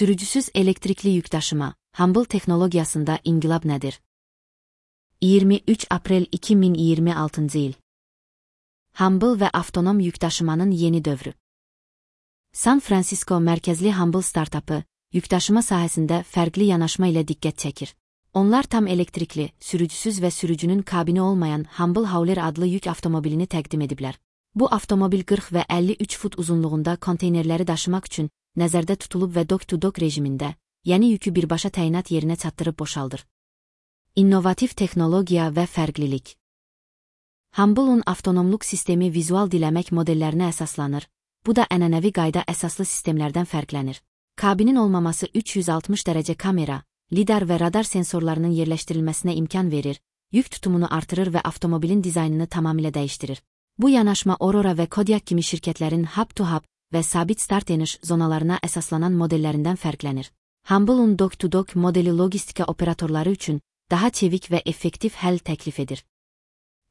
Sürücüsüz elektrikli yükdaşıma, Humble texnologiyasında inqilab nədir? 23 aprel 2026 il. Humble və avtonom yükdaşımanın yeni dövrü. San Francisco mərkəzli Humble startapı, yükdaşıma sahəsində fərqli yanaşma ilə diqqət çəkir. Onlar tam elektrikli, sürücüsüz və sürücünün kabini olmayan Humble Hauler adlı yük avtomobilini təqdim ediblər. Bu avtomobil 40 və 53 fut uzunluğunda konteynerləri daşımaq üçün nəzərdə tutulub və dock-to-dock rejimində, yəni yükü birbaşa təyinat yerinə çatdırıb boşaldır. İnnovativ texnologiya və fərqlilik. Humble'un avtonomluq sistemi vizual diləmək modellərinə əsaslanır. Bu da ənənəvi qayda əsaslı sistemlərdən fərqlənir. Kabinin olmaması 360 dərəcə kamera, lidar və radar sensorlarının yerləşdirilməsinə imkan verir, yük tutumunu artırır və avtomobilin dizaynını tamamilə dəyişdirir. Bu yanaşma Aurora və Kodiaq kimi şirkətlərin hub-to-hub və sabit start-eniş zonalarına əsaslanan modellərindən fərqlənir. Humble'un dock-to-dock modeli logistika operatorları üçün daha çevik və effektiv həll təklif edir.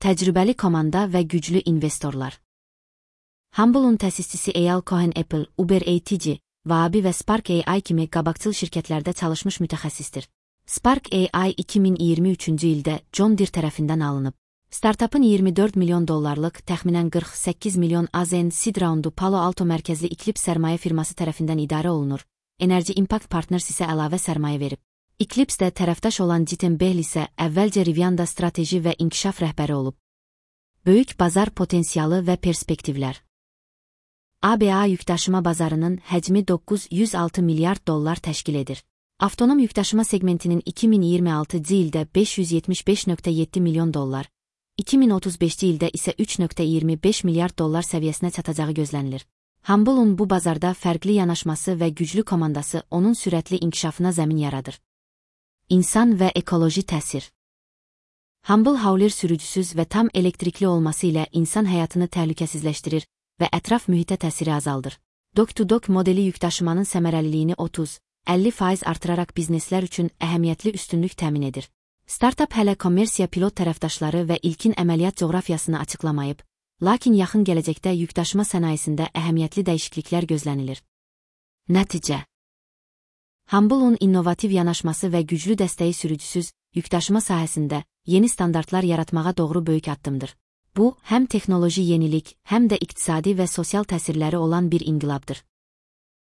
Təcrübəli komanda və güclü investorlar. Humble'un təsisçisi Eyal Cohen Apple, Uber ATG, Waabi və Spark AI kimi qabaqcıl şirkətlərdə çalışmış mütəxəssisdir. Spark AI 2023-cü ildə John Deere tərəfindən alınıb. Startupın 24 milyon dollarlıq, təxminən 48 milyon AZN seed raundu Palo Alto mərkəzli Eclipse sərmayə firması tərəfindən idarə olunur. Energy Impact Partners isə əlavə sərmayə verib. Eclipse-də tərəfdaş olan Jiten Behl isə əvvəlcə Rivian'da strateji və inkişaf rəhbəri olub. Böyük bazar potensialı və perspektivlər. ABA yükdaşıma bazarının həcmi 906 milyard dollar təşkil edir. Avtonom yükdaşıma segmentinin 2026-cı ildə 575,7 milyon dollar, 2035-ci ildə isə 3,25 milyard dollar səviyyəsinə çatacağı gözlənilir. Humble'un bu bazarda fərqli yanaşması və güclü komandası onun sürətli inkişafına zəmin yaradır. İnsan və ekoloji təsir. Humble Hauler sürücüsüz və tam elektrikli olması ilə insan həyatını təhlükəsizləşdirir və ətraf mühitə təsiri azaldır. Dock-to-dock modeli yükdaşımanın səmərəliliyini 30-50% artıraraq bizneslər üçün əhəmiyyətli üstünlük təmin edir. Startup hələ kommersiya pilot tərəfdaşları və ilkin əməliyyat coğrafiyasını açıqlamayıb, lakin yaxın gələcəkdə yükdaşıma sənayesində əhəmiyyətli dəyişikliklər gözlənilir. Nəticə. Humble'un innovativ yanaşması və güclü dəstəyi sürücüsüz yükdaşıma sahəsində yeni standartlar yaratmağa doğru böyük addımdır. Bu, həm texnoloji yenilik, həm də iqtisadi və sosial təsirləri olan bir inqilabdır.